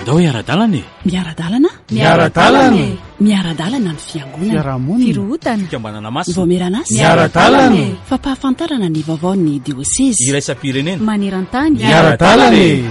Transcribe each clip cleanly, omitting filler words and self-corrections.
Andao hiara-dalana e! Miara-dalana? Miara-dalana e! Miara-dalana ny fiangonana. Fiarahamonina. Firohotana. Fikambanana masina. Vaomieran'asa. Miara-dalana e! Fampahafantarana ny vaovaon'ny diosezy. Iraisam-pirenena. Maneran-tany. Miara-dalana e!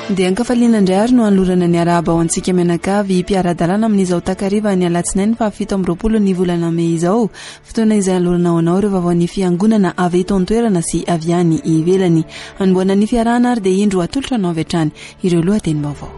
Dia ankafaliana indray ary no anolorana ny arahaba ho antsika mianakavy mpiara-dalana amin'izao takariva ny alatsinainy faha 27 ny volana mey izao. Fotoana izay anolorana ho anao ireo vaovaon'ny fiangonana avy eto an-toerana sy avy any ivelany. Hanombohana ny fiarahana ary dia indro atolotra anao avy hatrany ireo lohatenim-baovao.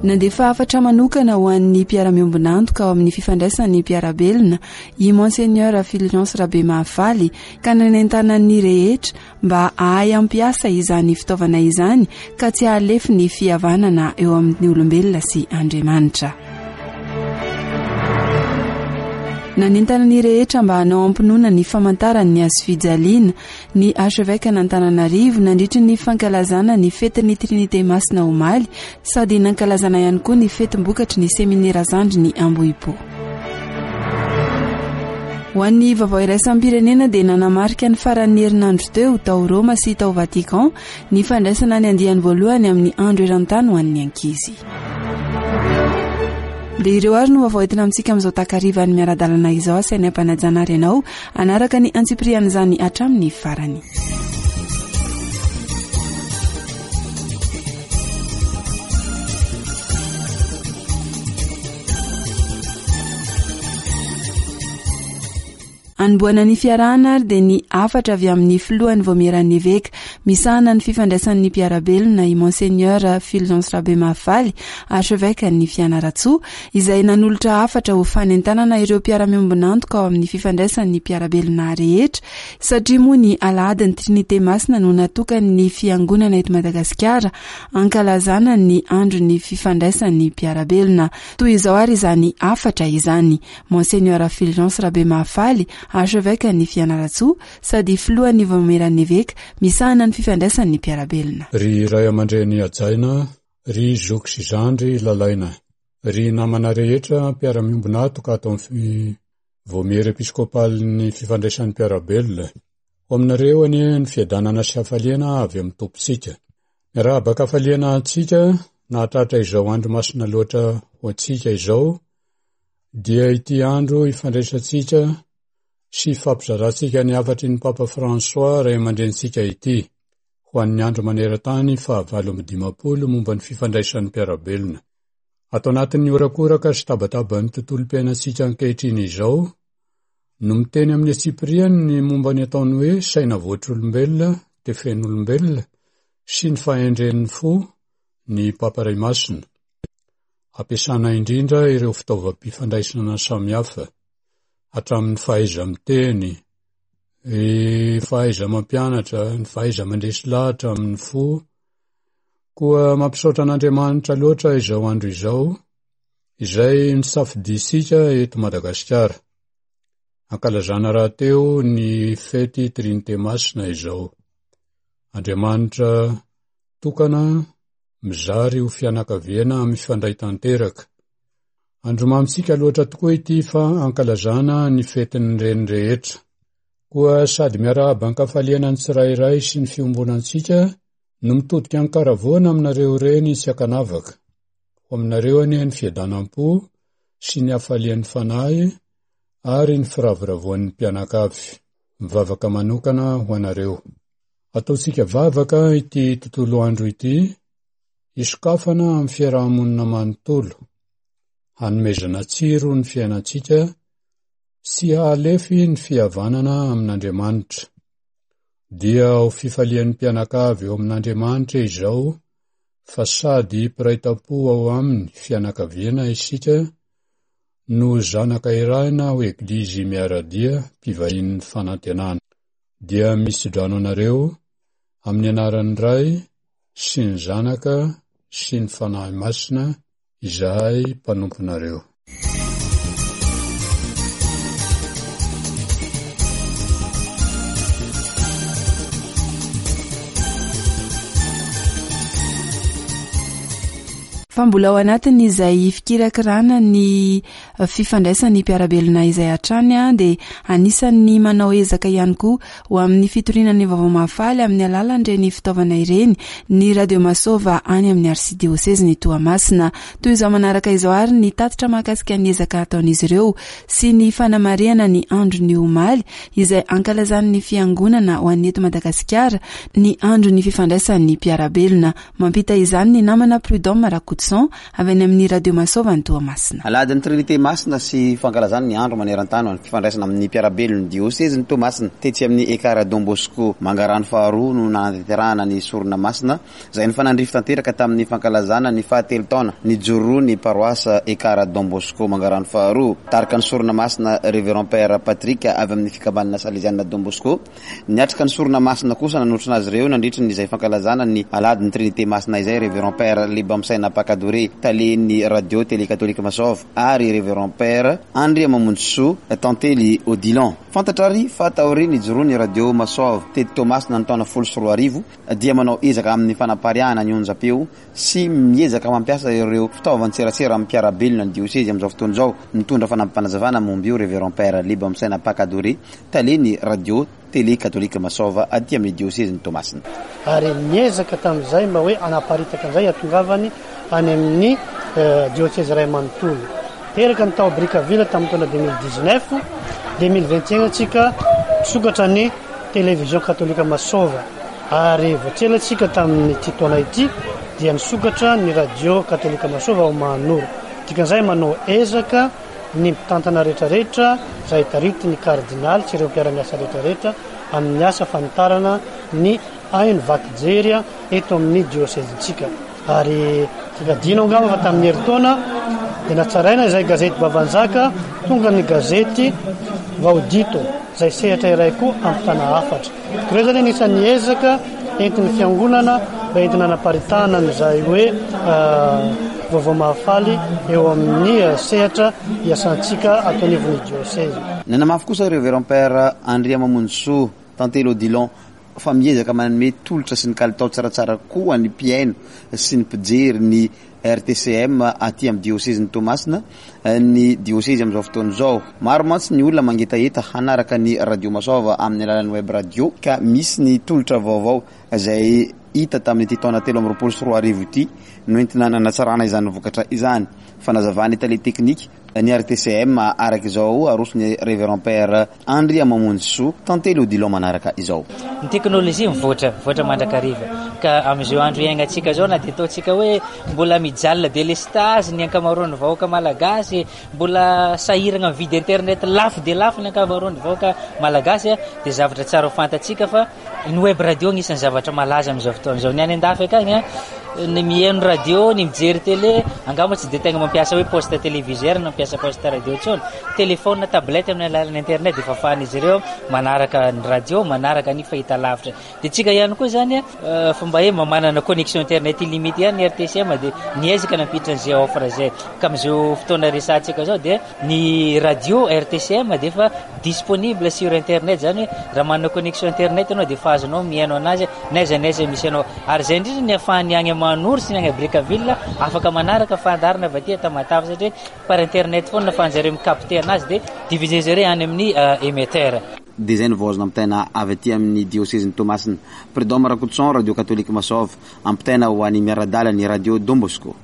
Nandefa hafatra manokana ho an'ny mpiara-miombon'antoka ao amin'ny fifandraisan'ny mpiara-belona i Monseigneur Fulgence Rabemahafaly ka nanentanan'ny rehetra mba hahay hampiasa izany fitaovana izany ka tsy hahalefy ny fihavanana eo amin'ny olombelona sy Andriamanitra. Nanentana ny rehetra mba hanao am-pinoana ny famantaran'ny hazofijaliana ny Archevêque-n'Antananarivo nandritry ny fankalazana ny fetin'ny Trinite Masina omaly sady nankalazana ihany koa ny fetim-bokatry ny seminera zandriny Ambohipo. Ho an'ny vaovao iraisam-pirenena dia nanamarika ny faran'ny herinandro teo tao Roma sy tao Vatican ny fandraisana ny andiany voalohany amin'ny andro eran-tany ho an'ny ankizy. Dia ireo ary no vaovao entina amintsika amin'izao takarivan'ny miara-dalana izao asainay am-panajana ary ianao hanaraka ny antsipirian'izany hatramin'ny farany. Anombohana ny fiarahana ary dia ny hafatra avy amin'ny filohan'ny vaomieran'ny eveka misahana ny fifandraisan'ny mpiara-belona i Monseigneur Fulgence Rabemahafaly, Archevêque-n'ny Fianarantsoa, izay nanolotra hafatra ho fanentanana ireo mpiara-miombon'antoka ao amin'ny fifandraisan'ny mpiara-belona rehetra satria moa ny alahadin'ny Trinite Masina no natokan'ny fiangonana eto Madagasikara ankalazana ny andron'ny fifandraisan'ny mpiara-belona. Toy izao ary izany hafatra izany, Monseigneur Fulgence Rabemahafaly, Archevêque-n'i Fianarantsoa, sady filohan'ny Vaomieran'ny Eveka misahana ny fifandraisan'ny mpiara-belona. Ry ray aman-dreny hajaina, ry zoky sy zandry lalaina, ry namana rehetra mpiara-miombona antoka ato amin'ny Vaomiera Episkopalin'ny Fifandraisan'ny Mpiara-belona, ho aminareo anie ny fiadanana sy hafaliana avy amin'ny Tompontsika. Miarahaba an-kafaliana antsika nahatratra izao andro masina loatra ho antsika izao, dia ity andro ifandraisantsika sy ifampizarantsika ny hafatry ny Papa François ray aman-drenintsika ity, ho an'ny andro maneran-tany faha 58 momba ny fifandraisan'ny mpiara-belona. Ato anatin'ny horakoraka sy tabataban'ny tontolom-piainantsika ankehitriny izao, no miteny amin'ny antsipiriany ny momba ny ataony hoe saina voatr'olombelona, tefen'olombelona, sy ny fahendren'ny fo ny Papa Ray Masina. Ampiasana indrindra ireo fitaovam-pifandraisana samihafa, hatramin'ny fahaiza-miteny, ny fahaiza-mampianatra, ny fahaiza-mandresy lahatra amin'ny fo. Koa mampisaotra an'Andriamanitra loatra izao andro izao, izay nisafidiantsika eto Madagasikara. Ankalazana rahateo ny fety Trinite Masina izao. Andriamanitra tokana mizary ho fianakaviana mifandray tanteraka. Andro mamintsika loatra tokoa ity fa ankalazana ny fetin'ny reny rehetra. Koa sady miarahaba an-kafaliana ny tsirairay sy ny fiombonantsika no mitodika an-karavoana aminareo reny tsy ankanavaka. Ho aminareo anie ny fiadanam-po sy ny hafalian'ny fanahy ary ny firavoravoan'ny mpianakavy. Mivavaka manokana ho anareo. Ataontsika vavaka ity tontolo andro ity, hisokafana amin'ny fiaraha-monina manontolo, hanomezana tsiro ny fiainantsika sy hahalefy ny fihavanana amin'Andriamanitra. Dia ho fifalian'ny mpianakavy eo amin'Andriamanitra izao fa sady mpiray tampo ao aminy fianakaviana isika no zanaka irahina ho Eglizy miara-dia mpivahinin'ny fanantenana. Dia mitso-drano anareo amin'ny anaran'ny Ray sy ny Zanaka sy ny Fanahy Masina izahay mpanomponareo. Fa mbola ao anatin'izay fikirakirana ny fifandraisan'ny mpiara-belona izay hatrany dia anisan'ny manao ezaka ihany koa ho amin'ny fitoriana ny vaovao mahafaly amin'ny alalan'ireny fitaovana ireny ny Radio Masova any amin'ny Arsidiosezin'i Toamasina. Toy izao manaraka izao ary ny tatitra mahakasika ny ezaka ataon'izy ireo sy ny fanamarihana ny andron'ny omaly izay ankalazan'ny fiangonana ho an'ny eto Madagasikara ny andron'ny fifandraisan'ny mpiara-belona. Mampita izany ny namana Prud'homme Rakotoson avy any amin'ny Radio Masova any Toamasina. Alahadin'ny Trinite Masina sy fankalazana ny andro maneran-tany ho an'ny fifandraisana amin'ny mpiara-belon'ny diosezin'i Toamasina. Tetsy amin'ny Ekar Don Bosco Mangarano faharoa no nanatanterahana ny sorona masina izay nifanandrify tanteraka tamin'ny fankalazana ny fahatelo taona nijoroan'ny paroasy Ekar Don Bosco Mangarano faharoa. Nitarika ny sorona masina Révérend Père Patrick avy amin'ny fikambanana Salezianina Don Bosco. Niatrika ny sorona masina kosa nanotrona azy ireo nandritry ny izay fankalazana ny Alahadin'ny Trinite Masina izay Révérend Père Lebamsaina Pakadore, talen'ny Radio Télé Katolika Masova ary Révérend Père Andriamamonjisoa Tantely Odilon. Fantatra ary fa taorian'ny nijoroan'ny Radio Masova teto Toamasina ny taona 2010 dia manao ezaka amin'ny fanapariahana ny onjam-peo sy miezaka mampiasa ireo fitaovan-tserasera amin'ny mpiara-belona ny diosezy amin'izao fotoana izao. Nitondra fanampim-panazavana momba io Révérend Père Lebamsaina Pakadore, talen'ny Radio Télé Katolika Masova aty amin'ny diosezin'i Toamasina. Ary niezaka tamin'izay mba hoe hanaparitaka an'izay hahatongavany any amin'ny diosezy iray manontolo. Teraka ny tao Brickaville tamin'ny taona 2019, 2021 tsika nisokatra ny Télévision Katolika Masova. Ary vao tsy ela isika tamin'ity taona ity dia nisokatra ny radio katolika Masova ao Mahanoro. Dikan'izay manao ezaka ny mpitantana rehetrarehetra izay taritin'ny kardinaly sy ireo mpiara-miasa rehetrarehetra amin'ny asa fanitarana ny haino vaky jery eto amin'ny diosezintsika. Ary adino angamba fa tamin'ny herintaona dia natsaraina izay gazety Babanjaka, tonga ny gazety Vaodito izay sehatra iray koa ampitana hafatra. Ireo izany anisan'ny ezaka entin'ny fiangonana mba entina hanaparitahana an'izay hoe vaovao mahafaly eo amin'ny sehatra iasantsika ato anivon'ny diosezy. Nanamafy kosa Révérend Père Andriamamonjisoa Tantely Odilon fa miezaka manome tolotra sy ny kalitao tsaratsara koa ny mpihaino sy ny mpijery ny RTCM aty amin'ny diosezin'i Toamasina ny diosezy amin'izao fotoana izao. Maro mantsy ny olona mangetaheta hanaraka ny Radio Masoava amin'ny alalan'ny web radio ka misy ny tolotra vaovao izay hita tamin'ity taona 2023 ity noentina nanatsarana izany vokatra izany. Fanazavan'ny tale teknika ny RTCM araka izao aroson'ny Révérend Père Andriamamonjisoa Tantely Odilon manaraka izao. Ny teknolojia mivoatra, mivoatra mandrakariva. Ka amin'izao andro iainantsika izao na dia ataontsika hoe mbola mijalina delestazy ny ankamaroan'ny vahoaka malagasy, mbola sahirana mividy internet lafo dia lafo ny ankamaroan'ny vahoaka malagasy dia zavatra tsara ho fantatsika fa Ny web radio anisan'ny zavatra malaza amin'izao fotoana izao. Ny any an-dafy akagny, ny mihaino radio, ny mijery télé, angamba tsy dia tegna mampiasa hoe poste téléviseur na mampiasa poste radio intsony. Téléphone, tablette amin'ny alalan'ny internet dia efa afahan'izy ireo manaraka ny radio, manaraka ny fahitalavitra. Dia tsika ihany koa izany, fa mba hoe mba manana connexion internet illimité ihany ny RTCM dia niezaka nampiditra an'izay offre izay. Ka amin'izao fotoana resahantsika izao dia Ny radio RTCM dia efa disponible sur internet, izany hoe raha manana connexion internet ianao dia efa azonao mihaino anazy n'aiza n'aiza misy anao. Ary izay indrindra ny ahafahan'ny agny Mahanoro sy ny agny Brickaville afaka manaraka fandaharana avy aty Tamatave satria par internet foana no ahafahan-jareo mi-capter anazy dia diffuser-zareo any amin'ny émetteur. Dia izay no vao azo nampitaina avy aty amin'ny diosezin'i Toamasina. Prud'homme Rakotoson, Radio Katolika Masova, ampitaina ho an'i Miaradala ny Radio Don Bosco.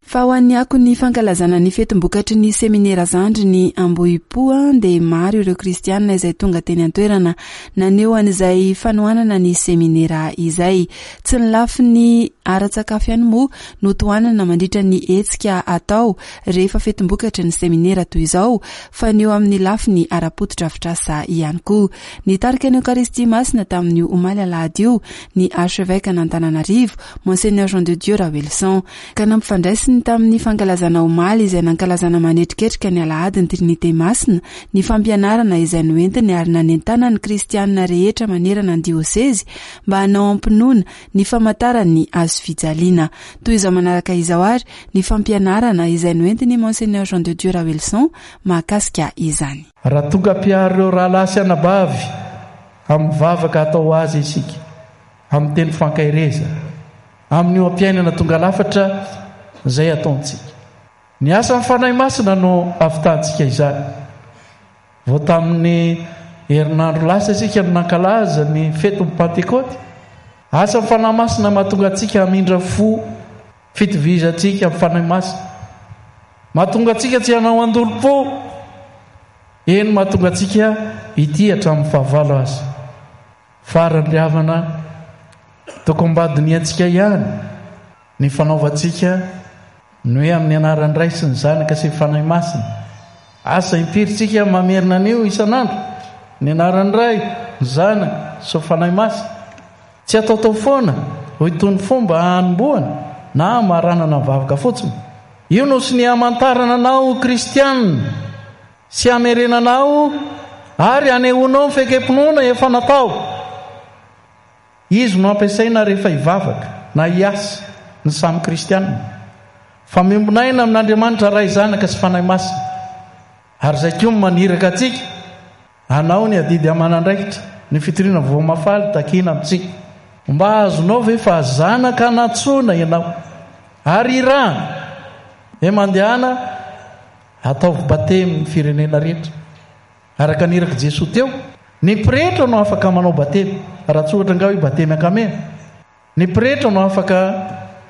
Fa ho an'ny akon'ny fankalazana ny fetim-bokatry ny seminera zandriny Ambohipo dia maro ireo kristianina izay tonga teny an-toerana naneho an'izay fanohanana ny seminera izay. Tsy ny lafiny ara-tsakafo ihany moa no tohanana mandritra ny hetsika atao rehefa fetim-bokatry ny seminera toy izao fa ny eo amin'ny lafiny ara-potodrafitrasa ihany koa. Nitarika ny Eokaristia Masina tamin'io omaly alahady io ny Archevêque an'Antananarivo, Monseigneur Jean de Dieu Raoelison, ka nampifandraisiny. Noentiny tamin'ny fankalazana omaly izay nankalazana manetriketrika ny alahady ny Trinite Masina ny fampianarana izay noentiny ary nanentanany ny kristianina rehetra manerana ny diosezy mba hanao am-pinoana ny famantaran'ny hazofijaliana. Toy izao manaraka izao ary ny fampianarana izay noentin'i Monseigneur Jean de Dieu Raoelison mahakasika izany. Raha tonga mpiaro ireo rahalahy sy anabavy amin'ny vavaka atao ho azy isika, amin'ny teny fankaherezana, amin'ny oha-piainana tonga lafatra izay ataontsika. Ny asan'ny Fanahy Masina no ahavitantsika izany. Vao tamin'ny herinandro lasa isika no nankalaza ny fetin'ny Pantekôty. Asan'ny Fanahy Masina mahatonga antsika hamindra fo, fitovizantsika amin'ny Fanahy Masina. Mahatonga antsika tsy hanao andolom-po, eny mahatonga antsika hitia hatramin'ny fahavalo aza. Farany ry havana, tokony mba dinihantsika ihany ny fanaovantsika ny hoe amin'ny anaran'ny Ray sy ny Zanaka sy ny Fanahy Masina. Asa impiry tsika mamerina an'io isan'andro? Ny anaran'ny Ray, ny Zanaka sy ny Fanahy Masina. Tsy ataotao foana ho itony fomba hanombohana na hamaranana ny vavaka fotsiny. Io no sonia hamantarana anao ho kristianina. Sy hamerenanao ary hanehoanao ny fekem-pinoana efa natao. Izy no ampiasaina rehefa hivavaka na hiasa ny samy kristianina. Fa miombon'aina amin'Andriamanitra Ray, Zanaka sy Fanahy Masina. Ary izay koa no maniraka antsika hanao ny adidy aman'andraikitra, ny fitoriana vaovao mahafaly takiana amintsika. Mba azonao ve fa zanaka nantsoina ianao ary irahana? He mandehana Ataovy batemy ny firenena rehetra. Araka ny irak'i Jesoa teo, ny pretra no afaka manao batemy, raha tsy ohatra angaha hoe batemy ankamehana. Ny pretra no afaka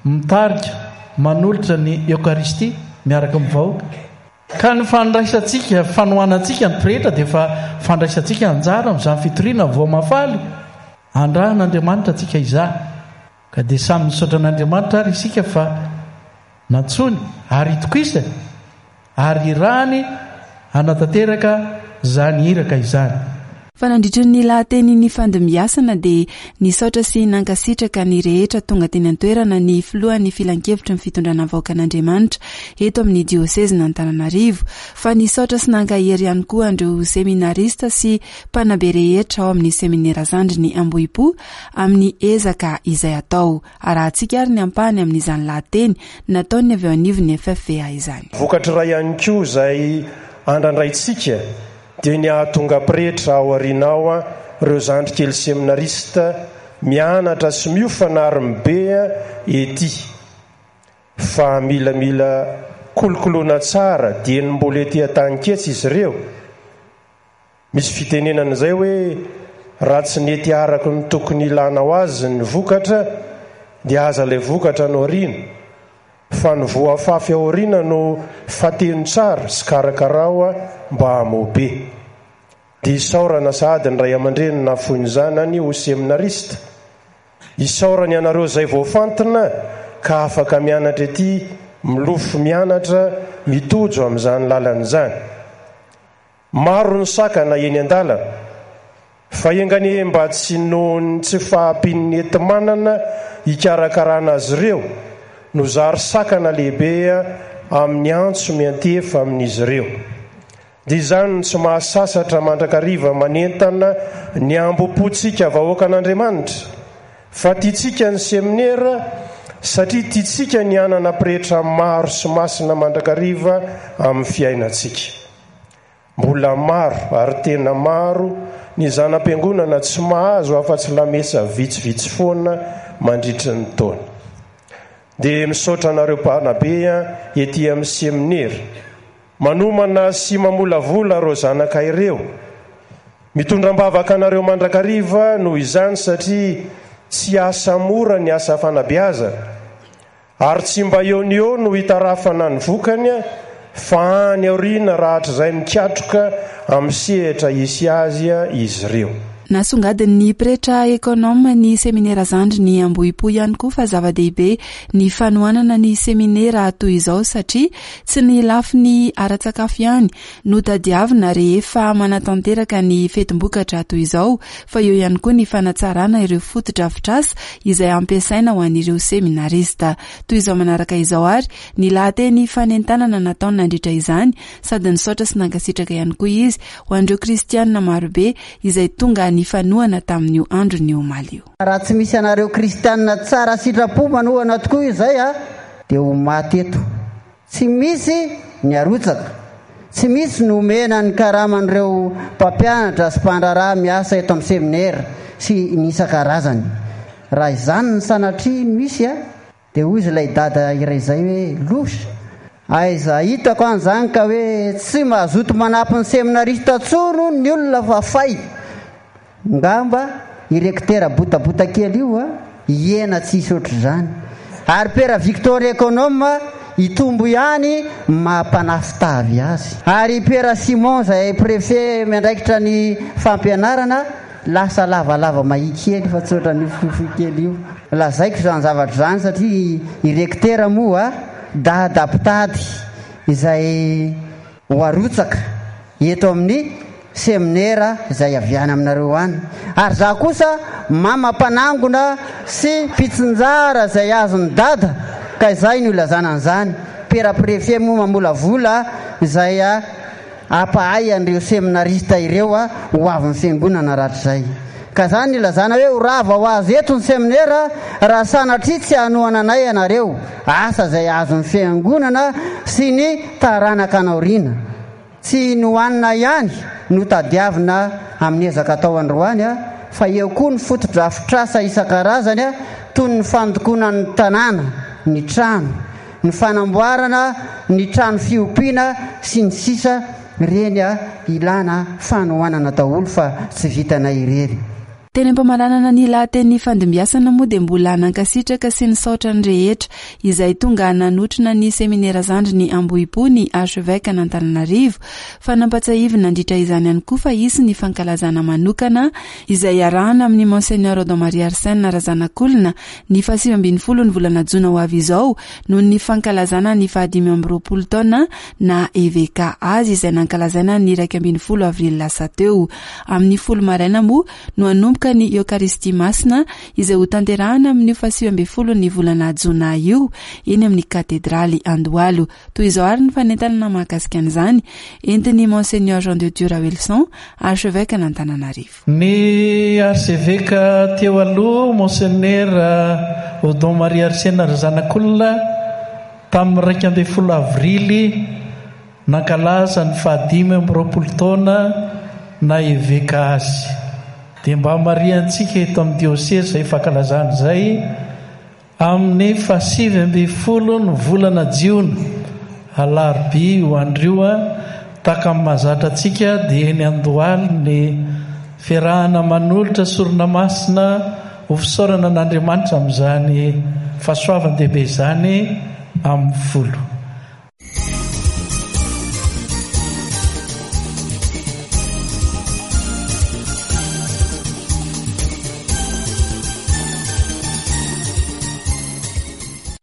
mitarika, manolotra ny Eokaristia miaraka amin'ny vahoaka. Ka ny fandraisantsika, fanohanantsika ny pretra dia efa fandraisantsika anjara amin'izany fitoriana voa mahafaly andrahan'Andriamanitra antsika izany. Ka dia samy misaotra an'Andriamanitra ary isika fa nantsoiny ary itokisany ary irahany hanatanteraka izany iraka izany. Fa nandritra ny lahateny nifandimbiasana dia nisaotra sy nankasitraka ny rehetra tonga teny an-toerana ny filohan'ny filankevitry ny fitondrana vahoakan'Andriamanitra eto amin'ny diosezin'Antananarivo fa nisaotra sy nankahery ihany koa an'ireo seminarista sy mpanabe rehetra ao amin'ny seminera zandriny Ambohipo amin'ny ezaka izay atao. Arahantsika ary ny ampahany amin'izany lahateny nataon'ny avy eo anivon'ny FFVA izany. Vokatra iray ihany koa izay andrandraintsika dia ny hahatonga pretra ao aoriana ao ireo zandry kely seminarista mianatra sy miofana ary mibe ety fa mila mila kolokoloina tsara dieny mbola ety an-taninketsa izy ireo. Misy fitenenana izay hoe raha tsy nety araka ny tokony hilanao azy ny vokatra dia aza ilay vokatra no ariana fa ny voa afafy aoriana no fateno tsara sy karakarao mba hamoa be. Dia isaorana sahady ny ray aman-dreny nahafoy ny zanany ho seminarista. Isaorana ianareo izay voafantina ka afaka mianatra ety, milofo mianatra, mitojo amin'izany lalana izany. Maro ny sakana eny an-dalana, fa enga anie mba tsy noho ny tsy fahampian'ny enti-manana hikarakarana azy ireo no zary sakana lehibe amin'ny antso miantefa amin'izy ireo. Dia izany no tsy mahasasatra mandrakariva manentana ny hambom-pontsika vahoakan'Andriamanitra, fa tiantsika ny seminera satria tiantsika ny hanana pretra maro sy masina mandrakariva amin'ny fiainantsika. Mbola maro ary tena maro ny zana-piangonana tsy mahazo afa-tsy lamesa vitsivitsy foana mandritry ny taona. Dia misaotra anareo mpanabe ety amin'ny seminera manomana sy mamolavola ireo zanaka ireo. Mitondra am-bavaka anareo mandrakariva noho izany satria tsy asa mora ny asa fanabeazana. Ary tsy mba eo ny eo no hitarafana ny vokany fa any aoriana rahatrizay mikatroka amin'ny sehatra hisy azy izy ireo. Nasongadin'ny pretra ekonoma ny seminera zandriny Ambohipo ihany koa fa zava-dehibe ny fanohanana ny seminera toy izao satria tsy ny lafiny ara-tsakafo ihany no tadiavina rehefa manatanteraka ny fetim-bokatra toy izao fa eo ihany koa ny fanatsarana ireo fotodrafitrasa izay ampiasaina ho an'ireo seminarista. Toy izao manaraka izao ary ny lahateny fanentanana nataony nandritra izany sady nisaotra sy nankasitraka ihany koa izy ho an'ireo kristianina marobe izay tonga nifanohana tamin'io andron'ny omaly io. Raha tsy misy anareo kristianina tsara sitrapo manohana tokoa izay a, dia ho maty eto. Tsy misy ny arotsaka, tsy misy ny omena ny karaman'ireo mpampianatra sy mpandraharaha miasa eto amin'ny seminera sy ny isan-karazany. Raha izany ny sanatria no hisy a, Dia hozy ilay dada iray izay hoe, Loza! Aiza hitako any izany ka hoe tsy mazoto manampy ny seminarista intsony hono ny olona fa fay! Ngamba i rektera botabota kely io a, hihena tsy hisy ohatr'izany. Ary pera Victor Econome hitombo ihany ny maha mpanafin-tavy azy. Ary pera Simon izay préfet miandraikitra ny fampianarana, Lasa lavalava mahia kely fa tsy ohatran'io fohifohy kely io. Lazaiko izany zavatra izany satria i Rektera moa dada mpitady izay ho arotsaka eto amin'ny seminera izay avy any aminareo any. Ary izaho kosa mama mpanangona sy mpitsinjara izay azon'i dada ka izay no ilazana an'izany. Pera Préfet moa mamolavola izay Hampahay an'ireo seminarista ireo ho avin'ny fiangonana rahatrizay. Ka izany ilazana hoe ho rava ho azy eto ny seminera raha sanatria tsy hanohana anay ianareo, asa izay azon'ny fiangonana sy ny taranaka any aoriana. Tsy ny hohanina ihany no tadiavina amin'ny ezaka atao androany fa eo koa ny fotodrafitrasa isan-karazany toy ny fandokoana ny tanàna, ny trano, ny fanamboarana ny trano fiompiana sy ny sisa Ireny ilana fanohanana daholo fa tsy vitanay irery. Teny am-pamaranana ny lahateny nifandimbiasana moa dia mbola nankasitraka sy nisaotra ny rehetra izay tonga nanotrona ny seminera zandriny Ambohipo ny Archevêque an'Antananarivo fa nampatsiahiviny nandritra izany ihany koa fa hisy ny fankalazana manokana izay iarahana amin'ny Monseigneur Odon Marie Arsène Razanakolona ny faha 19 ny volana jona ho avy izao noho ny fankalazana ny faha 25 taona na eveka azy izay nankalazaina ny 11 avrily lasa teo. Amin'ny folo maraina moa no hanomboka ny Eokaristia Masina izay hotanterahana amin'io faha 19 ny volana jona io eny amin'ny katedraly Andohalo. Toy izao ary ny fanentanana mahakasika an'izany entin'ny Monseigneur Jean de Dieu Raoelison, Archevêque an'Antananarivo. Ny Arseveka teo aloha, Monsenera Odon Marie Arsène Razanakolona, tamin'ny 11 avrily, nankalaza ny fahadimy amby roapolo taona naha eveka azy. Dia mba hamarihantsika eto amin'ny diosezy izay fankalazana izay, Amin'ny faha-19 ny volana jiona, alarobia io andro io, tahaka ny mahazatra antsika dia eny Andohaly ny fiarahana manolotra sorona masina ho fisaorana an'Andriamanitra amin'izany fahasoavan-dehibe izany amin'ny folo.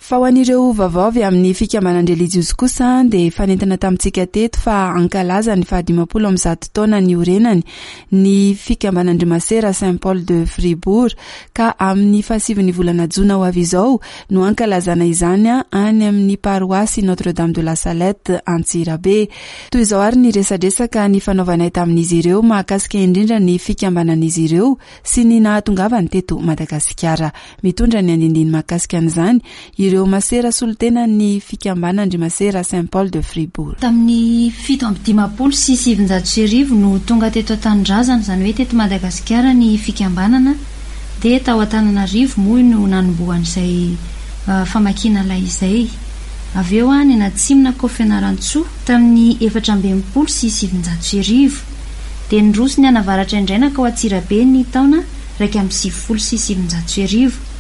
Fa ho an'ireo vaovao avy amin'ny fikambanan-drelijiozy kosa dia efa nentina tamintsika teto fa hankalaza ny faha-50 taona niorenany ny fikambanan-dry Masera Saint Paul de Fribourg ka amin'ny fahasivin'ny volana jona ho avy izao no hankalazana izany any amin'ny paroasy Notre Dame de la Salette Antsirabe. Toy izao ary ny resadresaka nifanaovanay tamin'izy ireo mahakasika indrindra ny fikambanan'izy ireo sy ny nahatongavany teto Madagasikara. Mitondra ny andindiny mahakasika an'izany ireo masera solontenan'ny fikambanan-dry masera Saint Paul de Fribourg. Tamin'ny 1957 no tonga teto an-tanindrazana, izany hoe teto Madagasikara ny fikambanana. Dia tao Antananarivo moa no nanombohan'izay famakiana lay izay. Avy eo nianatsimo nankao Fianarantsoa tamin'ny 1964. Dia niroso nianavaratra indray nankao Antsirabe ny taona 1991.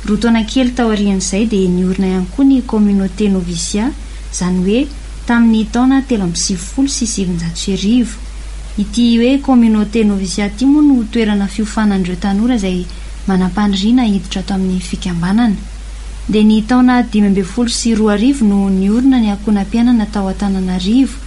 Roa taona kely taorian'izay dia niorina ihany koa ny Communauté Noviciat, izany hoe tamin'ny taona 1993. Ity hoe communauté noviciat ity moa no toerana fiofanan'ireo tanora izay manam-paniriana hiditra ato amin'ny fikambanana. Dia ny taona 2015 no niorina ny ankohonam-piainana tao Antananarivo,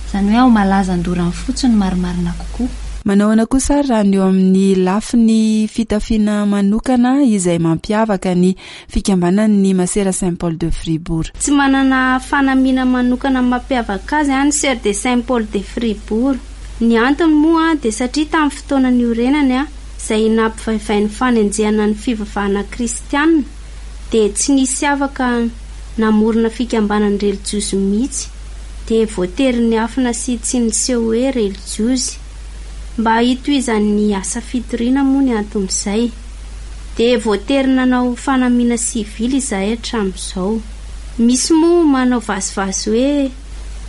izany hoe ao Malaza Andoranfotsy no marimarina kokoa. Manao ahoana kosa ary raha ny eo amin'ny lafiny fitafiana manokana izay mampiavaka ny fikambanan'ny Masera Saint Paul de Fribourg? Tsy manana fanamiana manokana mampiavaka azy ny Sœurs de Saint Paul de Fribourg. Ny antony moa dia satria tamin'ny fotoana niorenany, izay nampivaivain'ny fanenjehana ny fivavahana kristiana, dia tsy nisy afaka namorona fikambanan-drelijiozy mihitsy, dia voatery niafina sy tsy niseho hoe relijiozy. Mba hitohizan'ny asa fitoriana moa ny anton'izay. Dia voatery nanao fanamiana sivily izahay hatramin'izao. Misy moa manao vazivazy hoe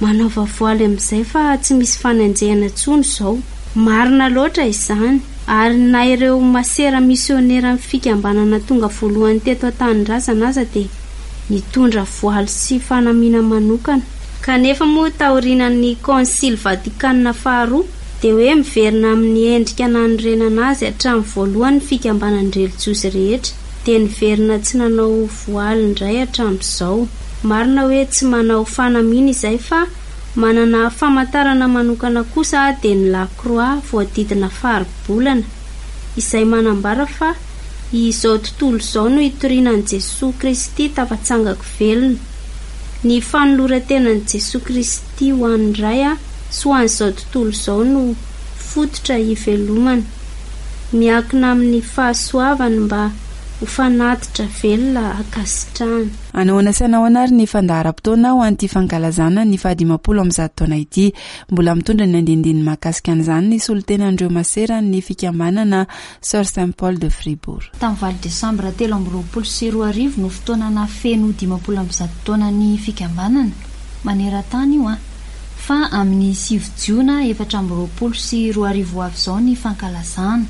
manaova voaly amin'izay fa tsy misy fanenjehana intsony izao. Marina loatra izany, ary na ireo masera misioneran'ny fikambanana tonga voalohany teto an-tanindrazana aza dia nitondra voaly sy fanamiana manokana. Kanefa moa taorianan'ny Konsily Vatikana faharoa dia hoe miverina amin'ny endrika nanorenana azy hatramin'ny voalohany ny fikambanan-drelijiozy rehetra dia niverina tsy nanao voaly indray hatramin'izao. Marina hoe tsy manao fanamiana izay fa manana famantarana manokana kosa dia ny lakroa voadidina faribolana izay manambara fa izao tontolo izao no itoriana an'i Jesoa Kristy tafatsangako velona. Ny fanoloran-tenan'i Jesoa Kristy ho an'ny Ray sy ho an'izao tontolo izao no fototra ivelomana. Miankina amin'ny fahasoavany mba ho fanatitra velona ankasitrahana. Anahoana sy anahoana ary ny fandaharam-potoana ho an'ity fankalazana ny fahadimampolo ambizato taona ity? Mbola mitondra ny andinindininy mahakasika an'izany ny solontenan'ireo maseran'ny fikambanana Sœur Saint Paul de Fribourg. Tamin'ny valo desambra 2023 no fotoana nahafeno 150 taona ny fikambanana, maneran-tany io an, fa amin'ny sivy jiona 2024 ho avy izao ny fankalazana,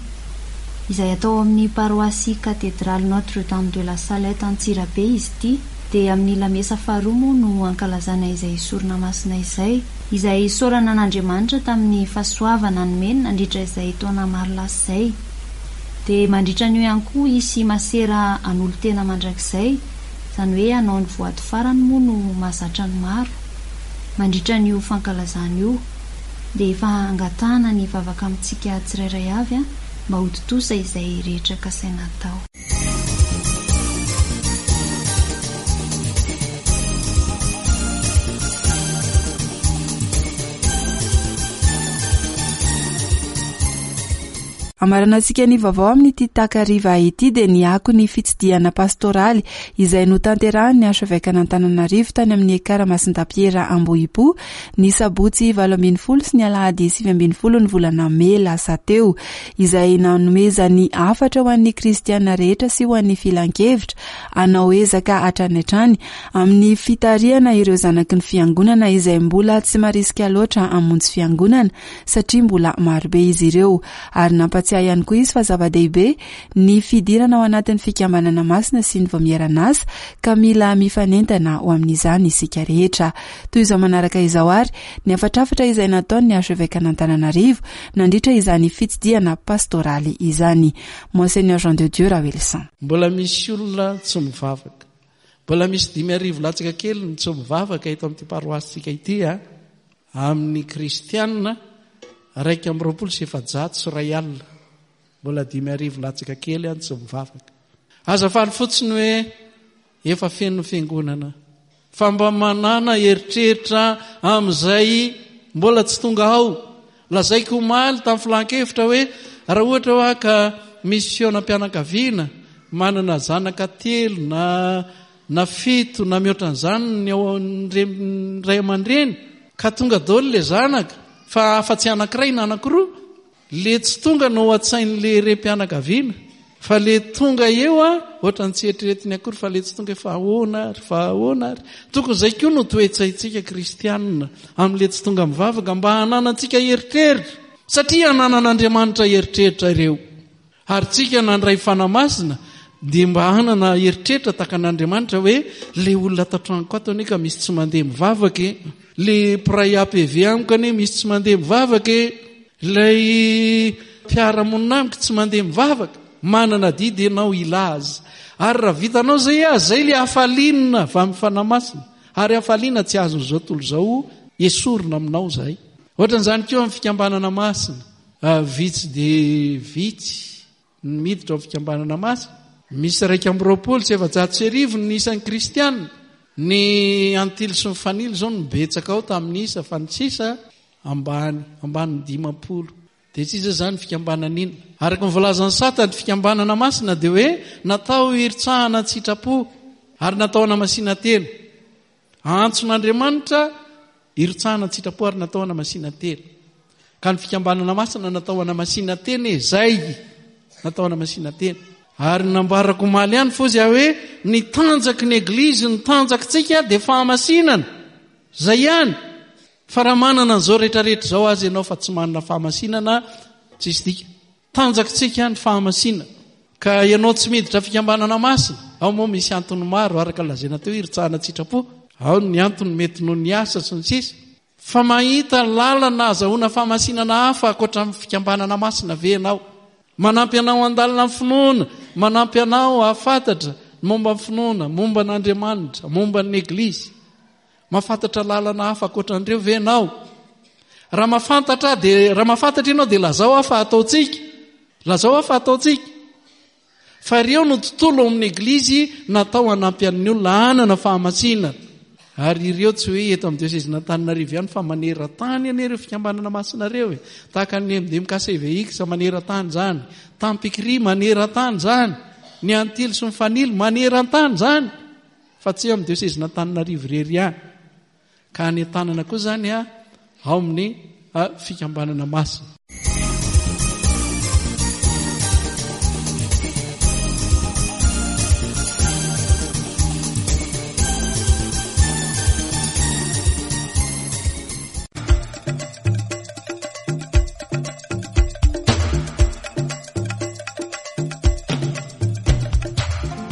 izay atao ao amin'ny paroasy Katedraly Notre Dame de la Salette Antsirabe izy ity, dia amin'ny lamesa faharoa moa no ankalazana izay sorona masina izay. Izay isaorana an'Andriamanitra tamin'ny fahasoavana nomeny nandritra izay taona maro lasa izay. Dia mandritra an'io ihany koa hisy masera hanolo-tena mandrakizay, izany hoe hanao ny voady farany moa no mahazatra ny maro. Mandritra an'io fankalazana io, dia efa angatahana ny vavaka amintsika tsirairay avy mba ho tontosa izay rehetra kasaina hatao. Amaranantsika ny vaovao amin'ity takariva ity dia ny akon'ny fitsidihana pastoraly izay notanterahin'ny Archevekan'Antananarivo tany amin'ny Ekara Masindapiera Ambohipo ny sabotsy 18 sy ny alahady 19 ny volana mey lasa teo. izay nanomezany hafatra ho an'ny kristiana rehetra sy ho an'ny filankevitra hanao ezaka hatrany hatrany amin'ny fitarihana ireo zanaky ny fiangonana izay mbola tsy marisika loatra hamonjy fiangonana satria mbola marobe izy ireo ary nampatsiahy ihany koa izy fa zava-dehibe ny fidirana ao anatin'ny fikambanana masina sy ny vaomieran'asa ka mila mifanentana ho amin'izany isika rehetra. Toy izao manaraka izao ary ny hafatrafatra izay nataon'ny Archevekan'Antananarivo nandritra izany fitsidihana pastoraly izany. Monseigneur Jean de Dieu Raoelison. Mbola misy olona tsy mivavaka. Mbola misy 5000 latsaka kely ny tsy mivavaka eto amin'ity paroasintsika ity a. Amin'ny kristianina 2421. Mbola 5000 latsaka kely any tsy mivavaka. Aza faly fotsiny hoe Efa feno ny fiangonana fa mba manàna eritreritra amin'izay mbola tsy tonga ao. Lazaiko omaly tamin'ny filan-kevitra hoe raha ohatra hoa ka misy fihaonam-pianakaviana manana zanaka telo na na fito na mihoatra an'izany ny ao ny ray aman-dreny ka tonga daholo ilay zanaka fa afa-tsy anankiray na anankiroa Le tsy tonga no ao an-tsain'le rem-pianakaviana fa le tonga eo a ohatran'ny tsy eritreretiny akory fa le tsy tonga fa ahoana ary fa ahoana ary. Tokony izay koa no toe-tsaintsika kristianina amin'le tsy tonga mivavaka mba hananantsika eritreritra satria hananan'Andriamanitra eritreritra ireo. Ary tsika nandray Fanahy Masina dia mba hanana eritreritra tahaka an'Andriamanitra hoe le olona ato an-tranoko ato anie ka misy tsy mandeha mivavaka e. Le mpiray APV amiko anie misy tsy mandeha mivavaka e. Ilay mpiara-monina amiko tsy mandeha mivavaka, manana adidy ianao hilaza. Ary raha vitanao izay aza, izay ilay hafaliana avy amin'ny Fanahy Masina. Ary hafaliana tsy azon'izao tontolo izao esorina aminao izay. Ohatran'izany koa amin'ny fikambanana masina. Vitsy dia vitsy ny miditra ao fikambanana masina. Misy 1421 ny isan'ny kristiana. Ny antily sy ny fanilo izao no betsaka ao tamin'ny isa fa ny sisa ambany, ambanin'ny 50. Dia tsy iza izany fikambanana inona. Araka ny voalazan'ny sata, ny fikambanana masina dia hoe natao hiritsahana an-tsitrapo ary natao hanamasinan-tena. Antson'Andriamanitra hirotsahana an-tsitrapo ary natao hanamasinan-tena. Ka ny fikambanana masina natao hanamasinan-tena e, zay natao hanamasinan-tena. Ary nambarako omaly ihany fozy aho hoe ny tanjaky ny Eglizy, ny tanjakitsika dia fahamasinana. Zay ihany. Fa raha manana an'izao rehetrarehetra izao aza ianao fa tsy manana fahamasinana, tsisy dika. Tanjakitsika ny fahamasinana. Ka ianao tsy miditra fikambanana masina, ao moa misy antony maro araka ny lazaina teo hirotsahana an-tsitrapo, ao ny antony mety noho ny asa sy ny sisa. Fa mahita lalana azahoana fahamasinana hafa ankoatra ny fikambanana masina ve ianao? Manampy anao handalina ny finoana, manampy anao hahafantatra ny momba ny finoana, momba an'Andriamanitra, momba ny Eglizy. Mahafantatra lalana hafa ankoatra an'ireo ve ianao? Raha mahafantatra dia raha mahafantatra ianao dia lazao aho fa ataontsika. Lazao aho fa ataontsika. Fa ireo no tontolo ao amin'ny Eglizy natao hanampy an'ny olona hanana fahamasinana. Ary ireo tsy hoe eto amin'ny diosezin'Antananarivo ihany fa maneran-tany anie ireo fikambanana masina ireo e. Tahaka ny MDMKCVX maneran-tany izany, Tampikri maneran-tany izany, ny Antily sy ny Fanilo maneran-tany izany. Fa tsy amin'ny diosezin'Antananarivo irery ihany. Ka any an-tanana koa izany ao amin'ny fikambanana masina.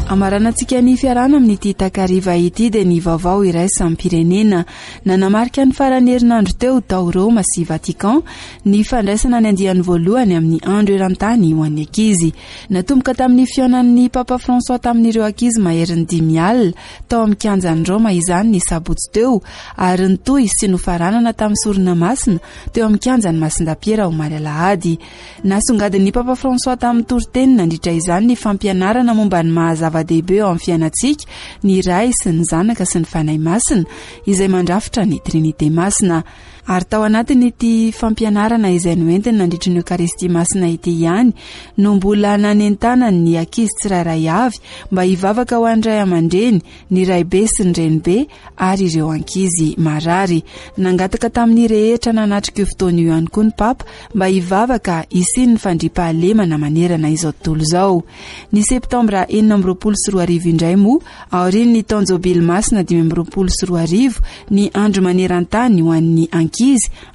Amaranantsika ny fiarahana amin'ity takariva ity dia ny vaovao iraisam-pirenena. Nanamarika ny faran'ny herinandro teo tao Roma sy Vatican ny fandraisana ny andiany voalohany amin'ny andro eran-tany ho an'ny ankizy. Natomboka tamin'ny fihaonan'ny Papa François tamin'ireo ankizy maherin'ny 50 tao amin'ny kianjan'i Roma izany ny sabotsy teo ary nitohy sy nofaranana tamin'ny sorona masina teo amin'ny kianjan'i Masindapiera omaly alahady. Nasongadin'ny Papa François tamin'ny toriteny nandritra izany ny fampianarana momba ny maha zava-dehibe eo amin'ny fiainantsika ny Ray sy ny Zanaka sy ny Fanahy Masina izay mandrafitra ny Trinite Masina. Ary tao anatin'ity fampianarana izay noentiny nandritry ny Eokaristia Masina ity ihany no mbola nanentanany ny ankizy tsirairay avy mba hivavaka ho an'ny ray aman-dreny, ny raibe sy ny renibe ary ireo ankizy marary. Nangataka tamin'ny rehetra nanatrika io fotoana io ihany koa ny Papa mba hivavaka hisian'ny fandriampahalemana manerana izao tontolo izao. Ny septambra 2026 indray moa, aorian'ny taon-jobily masina 2025, ny andro maneran-tany ho an'ny ankizy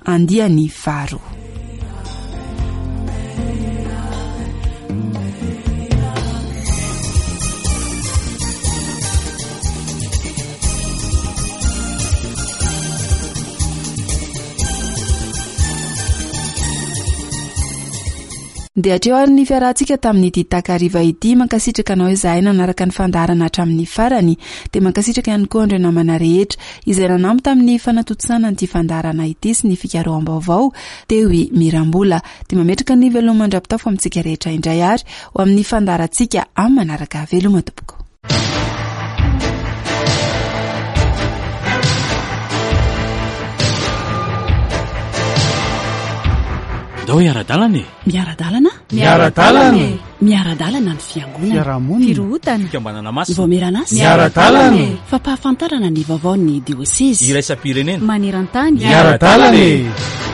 andiany faharoa. Dia hatreo ary ny fiarahantsika tamin'ity takariva ity. Mankasitraka anao izahay nanaraka ny fandaharana hatramin'ny farany. Dia mankasitraka ihany koa an'ireo namana rehetra izay nanampy tamin'ny fanatontosana an'ity fandaharana ity sy ny fikaroham-baovao teo i Mirambola. Dia mametraka ny veloma mandra-pitafo amintsika rehetra indray ary ho amin'ny fandaharantsika amin'ny manaraka. Veloma tompoko. Ndao hiara-dalana e! Miara-dalana? Miara-dalana e! Miara-dalana ny fiangonana. Fiarahamonina. Firohotana. Fikambanana masina. Ny vaomieran'asa. Miara-dalana e! Fampahafantarana ny vaovaon'ny diosezy. Iraisam-pirenena. Maneran-tany. Miara-dalana e!